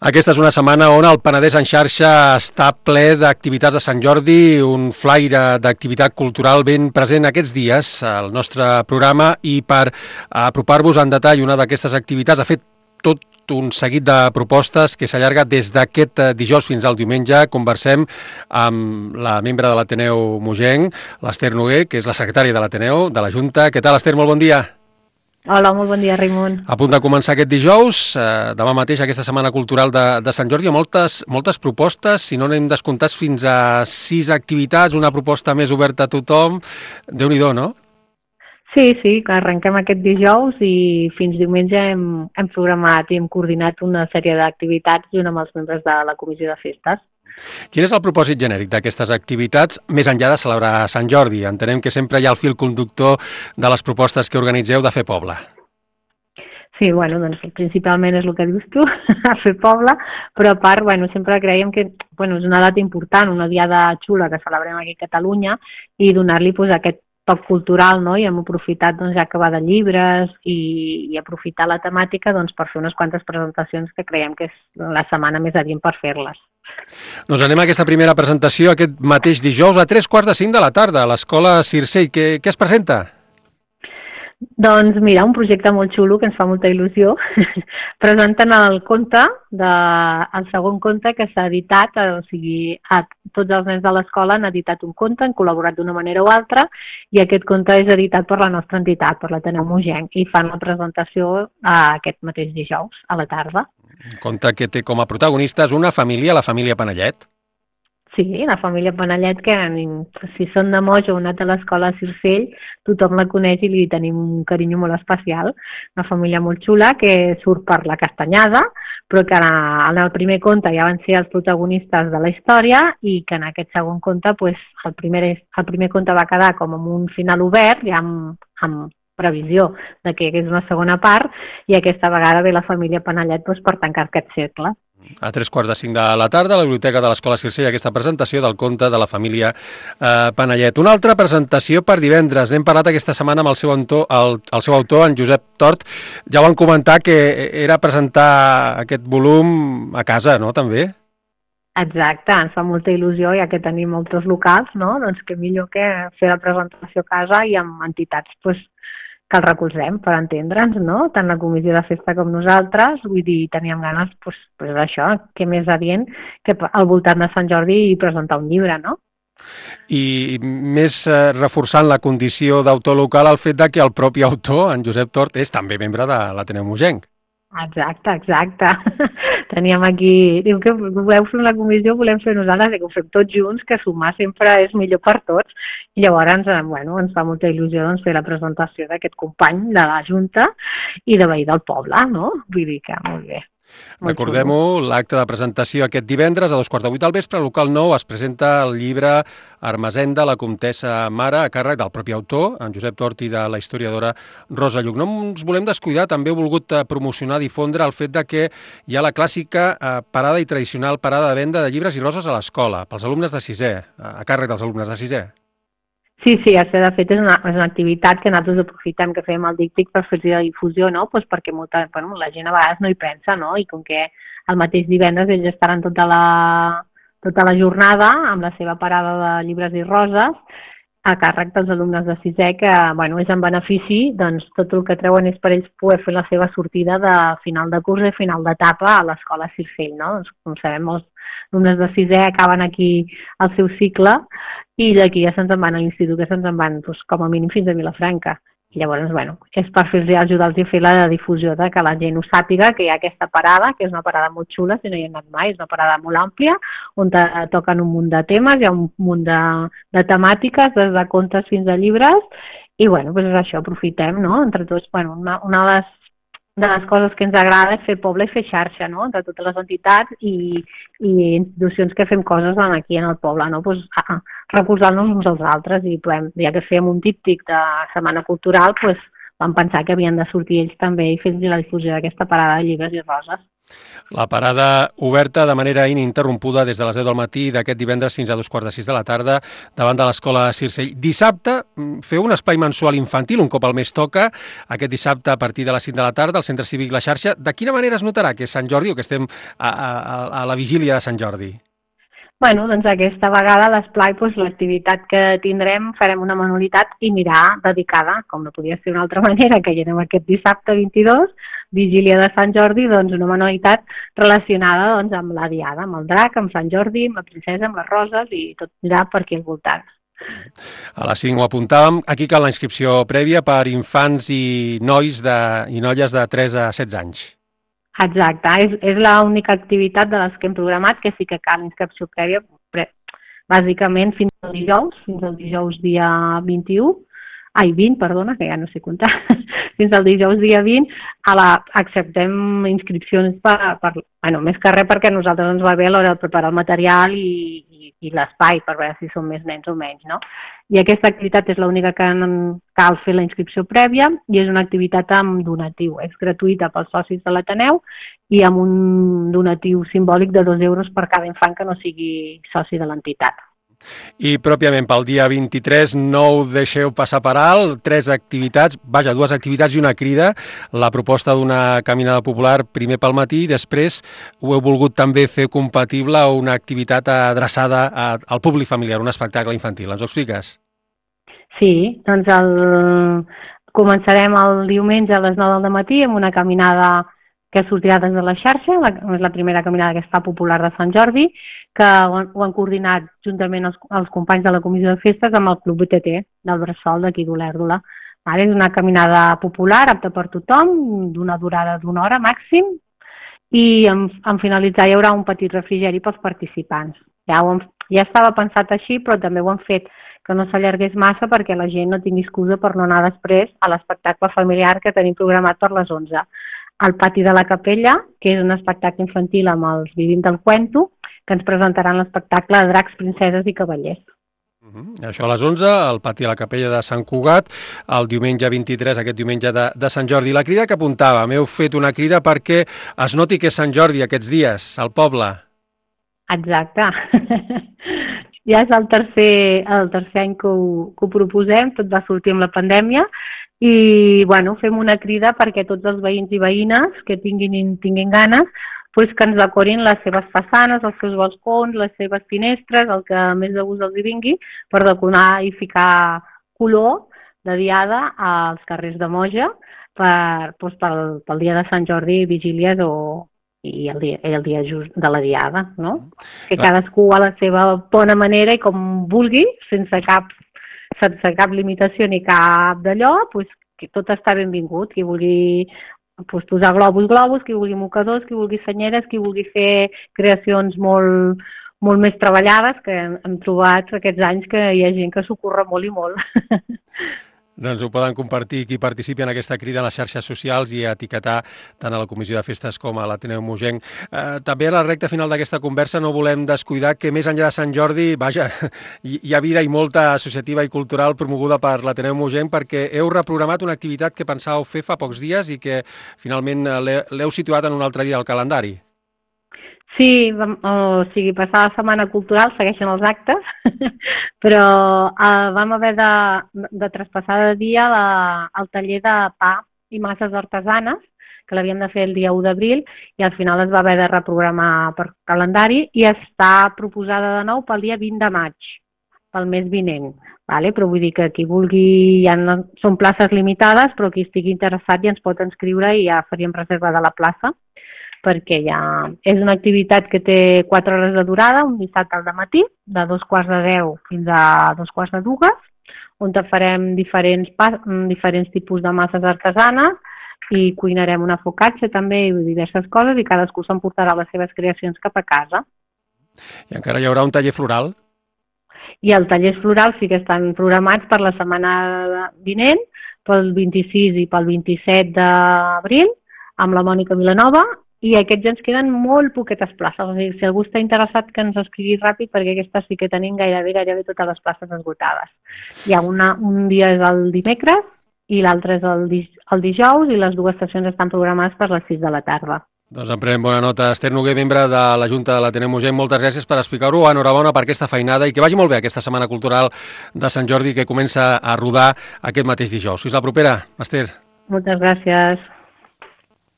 Aquesta és una setmana on el Penedès en xarxa està ple d'activitats de Sant Jordi, un flaire d'activitat cultural ben present aquests dies al nostre programa, i per apropar-vos en detall una d'aquestes activitats ha fet tot un seguit de propostes que s'allarga des d'aquest dijous fins al diumenge. Conversem amb la membre de l'Ateneu Mogenc, l'Ester Noguer, que és la secretària de l'Ateneu, de la Junta. Què tal, Ester? Molt bon dia. Hola, molt bon dia, Raimon. A punt de començar aquest dijous, demà mateix aquesta Setmana Cultural de Sant Jordi, moltes propostes, si no n'hem descomptats fins a 6 activitats, una proposta més oberta a tothom. Déu-n'hi-do, no? Sí, que arrenquem aquest dijous i fins diumenge hem programat i hem coordinat una sèrie d'activitats junt amb els membres de la Comissió de Festes. Quin és el propòsit genèric d'aquestes activitats, més enllà de celebrar Sant Jordi? Entenem que sempre hi ha el fil conductor de les propostes que organitzeu de fer poble. Sí, doncs principalment és el que dius tu, a fer poble, però a part, sempre creiem que és una data important, una diada xula que celebrem aquí a Catalunya, i donar-li aquest toc cultural, no? I hem aprofitat ja que va de llibres i aprofitar la temàtica per fer unes quantes presentacions que creiem que és la setmana més adient per fer-les. Doncs anem a aquesta primera presentació aquest mateix dijous a 3:45 de la tarda a l'Escola Circell. Què es presenta? Doncs mira, un projecte molt xulo que ens fa molta il·lusió. Presenten el segon conte que s'ha editat, o sigui, tots els nens de l'escola han editat un conte, han col·laborat d'una manera o altra, i aquest conte és editat per la nostra entitat, per l'Ateneu Mogenc, i fan la presentació aquest mateix dijous, a la tarda. Un conte que té com a protagonistes una família, la família Panellet. Sí, la família Panellet, que si són de Moix o han anat a l'escola Circell, tothom la coneix i li tenim un carinyo molt especial. Una família molt xula que surt per la Castanyada, però que en el primer conte ja van ser els protagonistes de la història i que en aquest segon conte el primer conte va quedar com amb un final obert, ja amb previsió de que hi hagués una segona part, i aquesta vegada ve la família Panellet per tancar aquest cercle. A 3:45 de la tarda a la Biblioteca de l'Escola Circell aquesta presentació del conte de la família Panellet. Una altra presentació per divendres. N'hem parlat aquesta setmana amb el seu autor, en Josep Tort. Ja ho van comentar, que era presentar aquest volum a casa, no?, també? Exacte, ens fa molta il·lusió, ja que tenim molts locals, no? Doncs que millor que fer la presentació a casa i amb entitats que el recolzem, per entendre'ns, no? Tant la comissió de festa com nosaltres, vull dir, teníem ganes d'això, que més adient que al voltant de Sant Jordi presentar un llibre, no? I més reforçant la condició d'autor local el fet que el propi autor, en Josep Tort, és també membre de l'Ateneu Mogenc. Exacte. Teníem aquí, diu que voleu fer la comissió, volem fer nosaltres, que ho fem tots junts, que sumar sempre és millor per tots, i llavors ens fa molta il·lusió fer la presentació d'aquest company de la Junta i de veí del poble, no? Vull dir que molt bé. Recordem-ho, l'acte de presentació aquest divendres a 2:15 del vespre, al local 9, es presenta el llibre Ermessenda, la comtessa Mare, a càrrec del propi autor, en Josep Tort, i de la historiadora Rosa Lluc. No ens volem descuidar, també he volgut promocionar, difondre el fet que hi ha la clàssica parada i tradicional parada de venda de llibres i roses a l'escola, pels alumnes de sisè, a càrrec dels alumnes de sisè. Sí, de fet és una activitat que nosaltres aprofitem, que fem el díptic per fer-hi la difusió, no? Perquè la gent a vegades no hi pensa, no? I com que el mateix divendres ells estaran tota la jornada amb la seva parada de llibres i roses a càrrec dels alumnes de sisè, que és en benefici, doncs tot el que treuen és per ells poder fer la seva sortida de final de curs i final d'etapa a l'escola Circell, no? Doncs, com sabem, molts alumnes de sisè acaben aquí el seu cicle i d'aquí ja se'ns en van a l'institut, que se'ns en van com a mínim fins a Vilafranca. I llavors, és per ajudar-los a fer la difusió de que la gent ho sàpiga, que hi ha aquesta parada, que és una parada molt xula, si no hi ha anat mai, és una parada molt àmplia, on toquen un munt de temes, hi ha un munt de temàtiques, des de contes fins a llibres, i és això, aprofitem, no?, entre tots, una de les coses que ens agrada és fer poble i fer xarxa, no?, entre totes les entitats i institucions que fem coses aquí en el poble, no?, recolzar-nos uns als altres, i ja que fèiem un díptic de Setmana Cultural, vam pensar que havien de sortir ells també i fer la difusió d'aquesta parada de llibres i roses. La parada oberta de manera ininterrompuda des de les 10 del matí d'aquest divendres fins a 2:45 de la tarda davant de l'Escola Circell. Dissabte feu un espai mensual infantil, un cop al mes toca, aquest dissabte a partir de les 5 de la tarda al Centre Cívic La Xarxa. De quina manera es notarà que és Sant Jordi o que estem a la vigília de Sant Jordi? Bueno, doncs aquesta vegada a l'esplai l'activitat que tindrem farem una manualitat i mirar dedicada, com no podia ser d'una altra manera, que hi anem aquest dissabte 22, vigília de Sant Jordi, doncs una manualitat relacionada doncs, amb la diada, amb el drac, amb Sant Jordi, amb la princesa, amb les roses i tot mirar per aquí al voltant. A les 5 ho apuntàvem. Aquí cal la inscripció prèvia per infants i nois i noies de 3 a 16 anys. Exacte, és l'única activitat de les que hem programat que sí que cal inscripció prèvia, bàsicament fins al dijous dia 20, perdona, que ja no sé comptar, fins al dijous dia 20, acceptem inscripcions més que res perquè a nosaltres ens va bé a l'hora de preparar el material i l'espai per veure si són més nens o menys, no? I aquesta activitat és l'única que cal fer la inscripció prèvia i és una activitat amb donatiu. És gratuïta pels socis de l'Ateneu i amb un donatiu simbòlic de 2 euros per cada infant que no sigui soci de l'entitat. I pròpiament pel dia 23 no ho deixeu passar per alt, 2 activitats i una crida, la proposta d'una caminada popular primer pel matí i després ho heu volgut també fer compatible una activitat adreçada al públic familiar, un espectacle infantil. Ens ho expliques? Sí, doncs començarem el diumenge a les 9 del matí amb una caminada que sortirà des de la xarxa, és la primera caminada aquesta popular de Sant Jordi, que ho han coordinat juntament els companys de la Comissió de Festes amb el Club BTT del Bressol d'aquí d'Olèrdola. És una caminada popular, apta per tothom, d'una durada d'1 hora màxim, i en finalitzar hi haurà un petit refrigeri pels participants. Ja estava pensat així, però també ho han fet que no s'allargués massa perquè la gent no tingui excusa per no anar després a l'espectacle familiar que tenim programat per les 11. Al pati de la Capella, que és un espectacle infantil amb els Vivim del Cuento, que ens presentaran l'espectacle de Dracs, Princeses i Cavallers. Això a les 11, al pati de la Capella de Sant Cugat, el diumenge 23, aquest diumenge de Sant Jordi. La crida que apuntava, m'heu fet una crida perquè es noti que és Sant Jordi aquests dies, al poble. Exacte. Ja és el tercer any que ho proposem, tot va sortir amb la pandèmia, i fem una crida perquè tots els veïns i veïnes que tinguin ganes que ens decorin les seves façanes, els seus balcons, les seves finestres, el que més de gust els hi vingui, per decorar i ficar color de diada als carrers de Moja pel dia de Sant Jordi, vigílies i el dia just de la diada, no? Que cadascú a la seva bona manera i com vulgui, sense cap limitació ni cap d'allò, que tot està benvingut. Qui vulgui posar globus, qui vulgui mocadors, qui vulgui senyeres, qui vulgui fer creacions molt, molt més treballades, que hem trobat aquests anys que hi ha gent que s'ho curra molt i molt. Doncs ho poden compartir qui participi en aquesta crida en les xarxes socials i etiquetar tant a la Comissió de Festes com a l'Ateneu Mogenc. També a la recta final d'aquesta conversa no volem descuidar que més enllà de Sant Jordi, hi ha vida i molta associativa i cultural promoguda per l'Ateneu Mogenc perquè heu reprogramat una activitat que pensàveu fer fa pocs dies i que finalment l'heu situat en un altre dia al calendari. Sí, passar la setmana cultural segueixen els actes, però vam haver de traspassar de dia el taller de pa i masses artesanes, que l'havíem de fer el dia 1 d'abril, i al final es va haver de reprogramar per calendari i està proposada de nou pel dia 20 de maig, pel mes vinent. Però vull dir que qui vulgui, són places limitades, però qui estigui interessat ja ens pot inscriure i ja faríem reserva de la plaça, perquè ja és una activitat que té 4 hores de durada, un dissabte al matí, de 9:45 fins a 2:45, on farem diferents tipus de masses artesanes i cuinarem una focaccia també i diverses coses i cadascú s'emportarà les seves creacions cap a casa. I encara hi haurà un taller floral? I els tallers florals sí que estan programats per la setmana vinent, pel 26 i pel 27 d'abril, amb la Mònica Vilanova, i aquests ens queden molt poquetes places. O sigui, si algú està interessat que ens escrigui ràpid, perquè aquestes sí que tenim gairebé totes les places esgotades. Hi ha un dia és el dimecres i l'altre és el dijous i les dues sessions estan programades per les 6 de la tarda. Doncs en prenem bona nota. Esther Noguer, membre de la Junta de l'Ateneu Mogent, moltes gràcies per explicar-ho. Enhorabona per aquesta feinada i que vagi molt bé aquesta Setmana Cultural de Sant Jordi que comença a rodar aquest mateix dijous. Fins la propera, Esther. Moltes gràcies.